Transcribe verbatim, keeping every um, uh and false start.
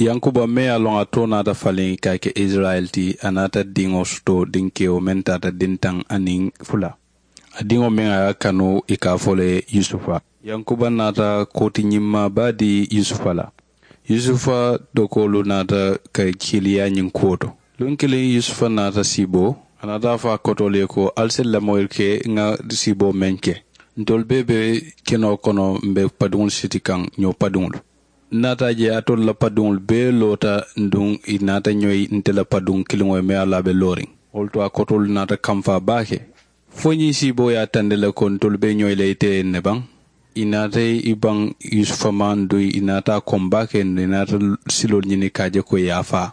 Yankuba meŋ ye a loŋ a too naata faliŋ ka a ke isirayila ti, a naata diŋo soto dinkewo meŋ taata dintaŋ aniŋ fula. A diŋo meŋ a ye a kanu i ka a fo le ye yusufa. Yankuba naata kooti ñimmaa baa dii yusufa la. Yusufa dokoolu naata ka kiiliyaa ñiŋ kuwo to. Luŋ kiliŋ yusufa naata siiboo, a naata a fo a kotoolu ye ko ali si lamoyi ke ŋa siiboo meŋ ke. Ntolu bee be kenoo kono m̀ be padiŋolu siti kaŋ ñoo padiŋolu. N naata a je alitolu la padiŋolu bee loota. Nduŋ ì naata ñoyi nte la padiŋ kiliŋo ye meŋ ye a la a be looriŋ. Wo le to a kotoolu naata kamfaa baake. Fo ñiŋ siiboo ye a tandi le ko ntolu be ñoyi la ite ye ne baŋ. Ì naata ì baŋ yusufa ma nduŋ ì naata a koŋ baake nduŋ ì naata siloolu ñini ka a je ko ì ye a faa.